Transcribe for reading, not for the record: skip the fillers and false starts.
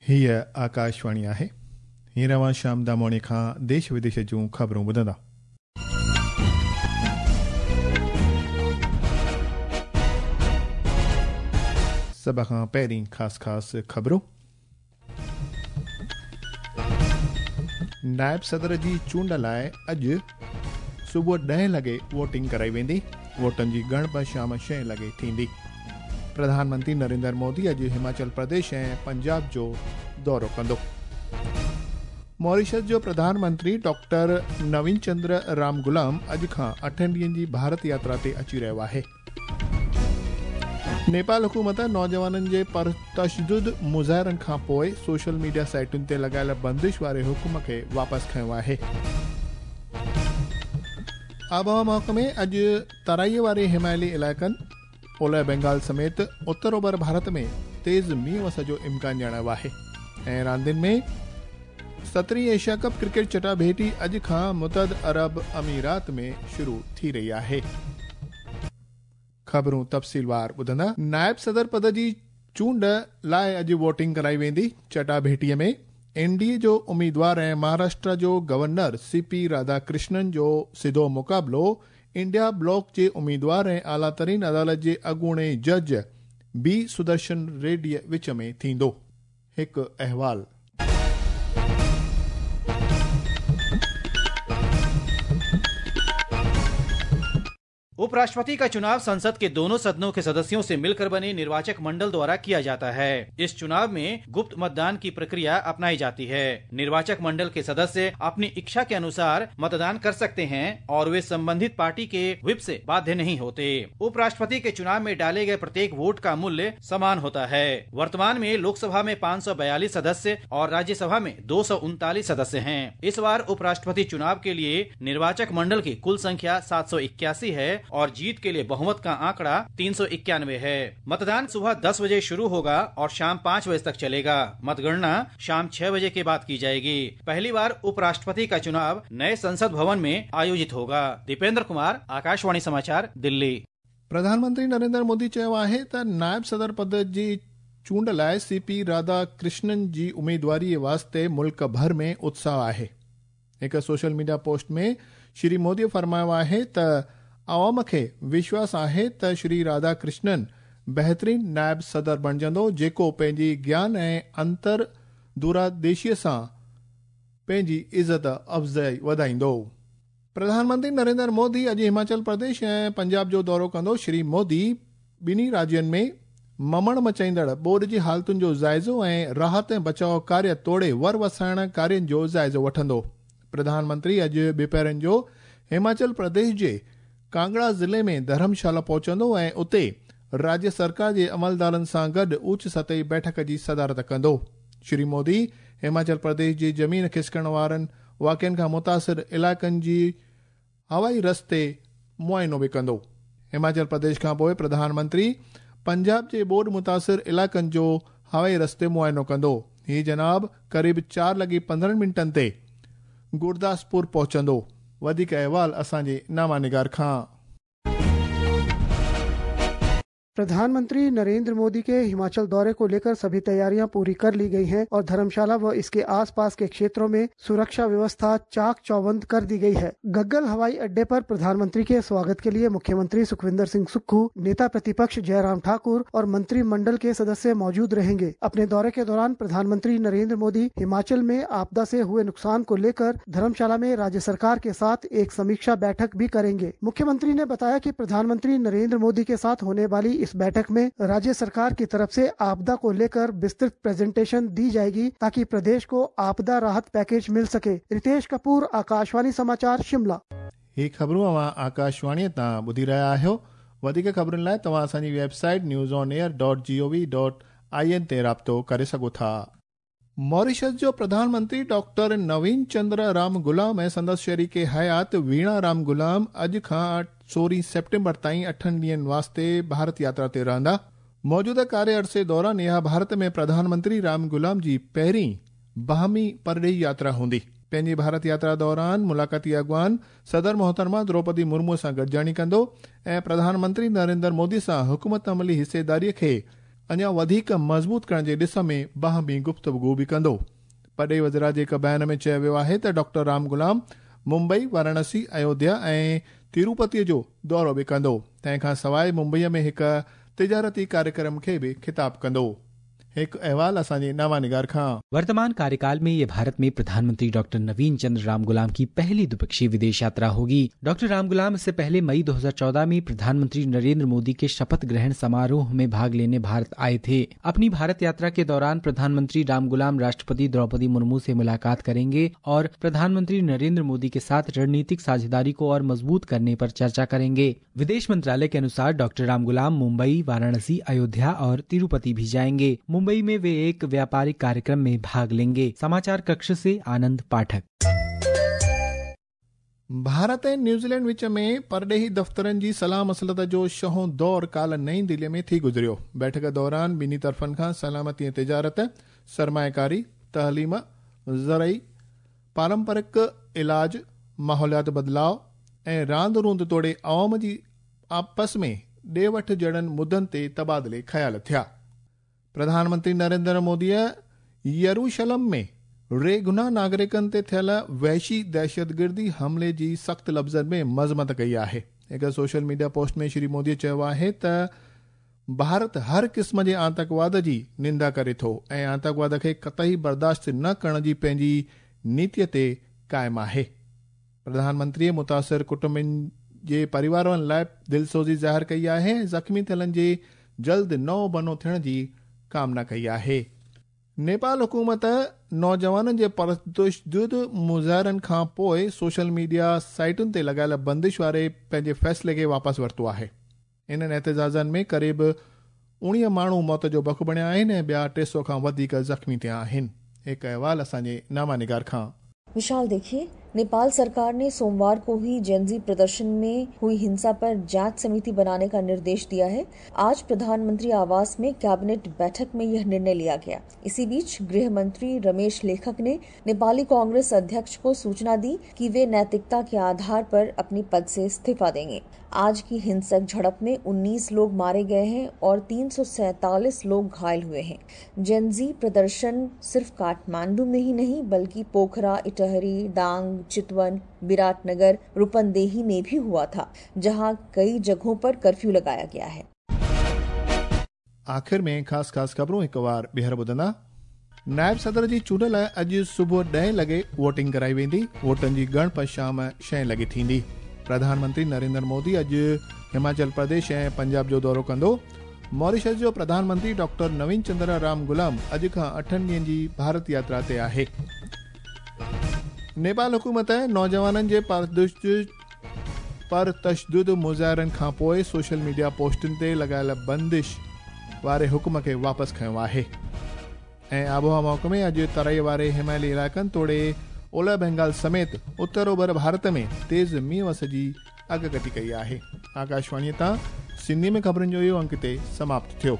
هيء آڪاشواڻي آهي. هينئر اوهان شيام داموڻي کان ديش وديش جون خبرون ٻڌندا. سڀ کان پهرين خاص خاص خبرون. نائب صدر جي چونڊ لاء اڄ صبح ڏهين لڳي ووٽنگ ڪرائي ويندي، ووٽن جي ڳڻپ شام ڇهين لڳي ٿيندي. پرڌان منتري نريندر مودي اڄ هماچل پرديش ۽ پنجاب جو دورو ڪندو. ماريشس جو پرڌان منتري ڊاڪٽر نوين چندر رام غلام اڄ کان اٺن ڏينهن جي ڀارت ياترا تي اچي رهيو آهي. نيپال حڪومت نوجوانن جي پرتشدد مظاهرن کان پوء سوشل ميڊيا سائيٽن تي لڳايل بندش واري حڪم کي واپس کنيو آهي. آبهوا محڪمي اڄ ترائي واري هماليي علائقن، اولهه بينگال سميت اتر اوڀر ڀارت ۾ تيز مينهن وس جو امڪان ڄاڻايو آهي ۽ راندين ۾ سترهين ايشيا ڪپ ڪرڪيٽ چٽاڀيٽي اڄ کان متحد عرب اميرات ۾ شروع ٿي رهي آهي. خبرون تفصيلوار ٻڌندا. نائب صدر پد جي چونڊ لاء اڄ ووٽنگ ڪرائي ويندي. چٽاڀيٽي ۾ اين ڊي اي جو اميدوار ۽ مهاراشٽرا جو گورنر سي پي راڌا ڪرشنن جو سڌو مقابلو انڊيا بلاڪ جي اميدوار ۽ اعليٰ ترين عدالت جي اڳوڻي جج بي سدرشن ريڊي وچ ۾ ٿيندو. هڪ احوال. उपराष्ट्रपति का चुनाव संसद के दोनों सदनों के सदस्यों से मिलकर बने निर्वाचक मंडल द्वारा किया जाता है। इस चुनाव में गुप्त मतदान की प्रक्रिया अपनाई जाती है। निर्वाचक मंडल के सदस्य अपनी इच्छा के अनुसार मतदान कर सकते हैं और वे संबंधित पार्टी के व्हिप से बाध्य नहीं होते। उपराष्ट्रपति के चुनाव में डाले गए प्रत्येक वोट का मूल्य समान होता है। वर्तमान में लोकसभा में 542 सदस्य और राज्यसभा में 239 सदस्य हैं। इस बार उपराष्ट्रपति चुनाव के लिए निर्वाचक मंडल की कुल संख्या 781 है और जीत के लिए बहुमत का आंकड़ा 391 है। मतदान सुबह 10 बजे शुरू होगा और शाम 5 बजे तक चलेगा। मतगणना शाम 6 बजे के बाद की जाएगी। पहली बार उपराष्ट्रपति का चुनाव नए संसद भवन में आयोजित होगा। दीपेंद्र कुमार, आकाशवाणी समाचार, दिल्ली। प्रधानमंत्री नरेंद्र मोदी चयो आहे त नायब सदर पद जी चूंड लाइ सी पी राधा कृष्णन जी उम्मीदवारीअ वास्ते मुल्क भर में उत्साह आहे। हिकु सोशल मीडिया पोस्ट में श्री मोदी फरमायो आहे त عوام کي وشواس آهي ته شري راڌا ڪرشنن بهترين نائب صدر بڻجندو جيڪو پنهنجي گيان ۽ انتر دوراديشيء سان پنهنجي عزت افزائي وڌائيندو. پرڌان منتري نريندر مودي اڄ هماچل پرديش ۽ پنجاب جو دورو ڪندو. شري مودي ٻنهي راجين ۾ ممڻ مچائيندڙ ٻوڏ جي حالتن جو جائزو ۽ راحت ۽ بچاء ڪاريه توڙي ور وسائڻ ڪارين جو جائزو وٺندو. پرڌان منتري اڄ ٻپهرن جو هماچل پرديش جي ڪانگڙا ضلعي ۾ ڌرمشالا پهچندو ۽ اتي راجيه سرڪار جي عملدارن سان گڏ اوچ سطحي بيٺڪ جي صدارت ڪندو. شري مودي هماچل پرديش جي زمين کسڪڻ وارن واقعن کان متاثر علائقن جي هوائي رستي معائنو به ڪندو. هماچل پرديش کان پوء پرڌان منتري پنجاب جي ٻوڏ متاثر علائقن جو هوائي رستي معائنو ڪندو. هي جناب قريب چار لڳي پندرهن منٽن تي گورداسپور پهچندو. وڌيڪ احوال اسان جي نامه نگار کان. प्रधानमंत्री नरेंद्र मोदी के हिमाचल दौरे को लेकर सभी तैयारियां पूरी कर ली गई हैं और धर्मशाला व इसके आसपास के क्षेत्रों में सुरक्षा व्यवस्था चाक चौबंद कर दी गई है। गग्गल हवाई अड्डे पर प्रधानमंत्री के स्वागत के लिए मुख्यमंत्री सुखविंदर सिंह सुक्खू, नेता प्रतिपक्ष जयराम ठाकुर और मंत्रिमंडल के सदस्य मौजूद रहेंगे। अपने दौरे के दौरान प्रधानमंत्री नरेंद्र मोदी हिमाचल में आपदा से हुए नुकसान को लेकर धर्मशाला में राज्य सरकार के साथ एक समीक्षा बैठक भी करेंगे। मुख्यमंत्री ने बताया कि प्रधानमंत्री नरेंद्र मोदी के साथ होने वाली इस बैठक में राज्य सरकार की तरफ से आपदा को लेकर विस्तृत प्रेजेंटेशन दी जाएगी ताकि प्रदेश को आपदा राहत पैकेज मिल सके। रितेश कपूर, आकाशवाणी समाचार, शिमला। ही ख़बरूं अव्हां आकाशवाणीअ तां ॿुधी रहिया आहियो। वधीक ख़बरुनि लाइ तव्हां असांजी website news on air dot G O V dot I N ते राब्तो करे सघो था। मॉरिशस जो प्रधान मंत्री डॉक्टर नवीन चंद्र राम गुलाम ۽ سندس شريڪ حيات ويڻا رام غلام اڄ کان سورهين سيپٽمبر تائين اٺن ڏينهن واسطي ڀارت ياترا تي رهندا. موجوده ڪاري عرصي دوران اها ڀارت ۾ پرڌان منتري رام غلام جي پهرين باهمي پرڏيهي ياترا هوندي. پنهنجي ڀارت ياترا دوران ملاقاتي اڳواڻ صدر محترمه دروپدي مرمو سان گڏجاڻي ڪندو ۽ پرڌان منتري نريندر مودي سان حڪمت عملي حصيداري کي اڃا وڌيڪ مضبوط ڪرڻ جي ڏس ۾ باهمي گفتگو به ڪندو. پرڏيهي وزارت جي هڪ بيان ۾ چيو ويو آهي ته ڊاڪٽر رام غلام ممبئي، واراڻسي، ايوڌيا ۽ تيروپتي جو دورو به ڪندو. تنهن کان سواء ممبئي ۾ هڪ تجارتي ڪاريڪرم کي به خطاب ڪندو. هڪ احوال اسان جي نامه نگار کان. वर्तमान कार्यकाल में ये भारत में प्रधानमंत्री डॉक्टर नवीन चंद्र रामगुलाम की पहली द्विपक्षीय विदेश यात्रा होगी। डॉक्टर रामगुलाम इससे पहले मई 2014 में प्रधानमंत्री नरेंद्र मोदी के शपथ ग्रहण समारोह में भाग लेने भारत आए थे। अपनी भारत यात्रा के दौरान प्रधानमंत्री रामगुलाम राष्ट्रपति द्रौपदी मुर्मू से मुलाकात करेंगे और प्रधानमंत्री नरेंद्र मोदी के साथ रणनीतिक साझेदारी को और मजबूत करने पर चर्चा करेंगे। विदेश मंत्रालय के अनुसार डॉक्टर रामगुलाम मुंबई, वाराणसी, अयोध्या और तिरुपति भी जाएंगे। मुंबई में वे एक व्यापारिक कार्यक्रम में भाग लेंगे। समाचार कक्ष से आनंद पाठक। भारत ऐं न्यूज़ीलैंड विच में परॾेही दफ़्तरनि जी सलाह मसलत जो छहों दौर काल्ह नई दिल्लीअ में थी गुज़रियो। बैठक दौरान ॿिन्ही तरफ़नि खां सलामती ऐं तिजारत, सरमायकारी, तइलीम, ज़रई, पारंपरिक इलाज, माहौलियात बदिलाव ऐं रांदि रूंदि तोड़े अवाम जी आपस में ॾे वठि जहिड़नि मुद्दनि ते तबादिले ख़्याल थिया। प्रधानमंत्री नरेंद्र मोदीअ यरूशलम में रेगुनाह नागरिकनि ते थियल वहशी दहशतगिर्दी हमले जी सख़्त लफ़्ज़नि में मज़मत कई आहे। हिकु सोशल मीडिया पोस्ट में श्री मोदीअ चयो आहे त भारत हर क़िस्म जे आतंकवाद जी निंदा करे थो ऐं आतंकवाद खे कतई बर्दाश्त न करण जी पंहिंजी नीतीअ ते क़ाइमु आहे। प्रधानमंत्रीअ मुतासिर कुटुंबनि जे परिवारनि लाइ दिलसोज़ी ज़ाहिर कई आहे ऐं ज़ख़्मी थियलनि जे जल्द नओं बनो थियण जी कामना कई आहे। नेपाल हुकूमत नौजवाननि जे परतशदुद मुज़ाहिरनि खां पोइ सोशल मीडिया साइटुनि ते लॻायल बंदिश वारे पंहिंजे फ़ैसिले खे वापसि वरितो आहे। इन्हनि एहतजाजनि में क़रीब 19 माण्हू मौत जो बख बणिया आहिनि ऐं ॿिया 300 खां वधीक ज़ख़्मी थिया आहिनि। हिकु अहवाल असांजे नामा निगार खां। विशाल, देखिए, नेपाल सरकार ने सोमवार को ही जेनजी प्रदर्शन में हुई हिंसा पर जांच समिति बनाने का निर्देश दिया है। आज प्रधानमंत्री आवास में कैबिनेट बैठक में यह निर्णय लिया गया। इसी बीच गृह मंत्री रमेश लेखक ने नेपाली कांग्रेस अध्यक्ष को सूचना दी कि वे नैतिकता के आधार पर अपने पद से इस्तीफा देंगे। आज की हिंसक झड़प में 19 लोग मारे गए हैं और 347 लोग घायल हुए हैं। जेनजी प्रदर्शन सिर्फ काठमांडू में ही नहीं बल्कि पोखरा, इटहरी, दांग, चितवन, विराटनगर, रूपंदेही में भी हुआ था, जहां कई जगहों पर कर्फ्यू लगाया गया है। आख़िर में ख़ासि ख़ासि ख़बरूं हिकु वार ॿीहर ॿुधंदा। नायब सदर जी चूंड लाइ अॼु सुबुह 10 लॻे वोटिंग कराई वेंदी। वोटनि जी ॻणप शाम 6 लॻे थींदी। प्रधानमंत्री नरेंद्र मोदी अॼु हिमाचल प्रदेश ऐं पंजाब जो दौरो कंदो। मॉरिशस जो प्रधानमंत्री डॉक्टर नवीन चंद्र राम गुलाम अॼु खां 8 ॾींहनि जी भारत यात्रा ते आहे। नेपाल हुकूमत नौजवाननि जे परतशदुद मुज़ाहिरनि खां पोइ सोशल मीडिया पोस्टुनि ते लॻायल बंदिश वारे हुकुम खे वापसि खयो आहे। ऐं आबहावा महकमे अॼु तराई वारे हिमालयी इलाइक़नि तोड़े ओलह बंगाल समेत उत्तर ओभर भारत में तेज़ मींहुं वस जी अॻकथी कई आहे। आकाशवाणीअ तां सिंधी में ख़बरुनि जो इहो अंक हिते समाप्त थियो।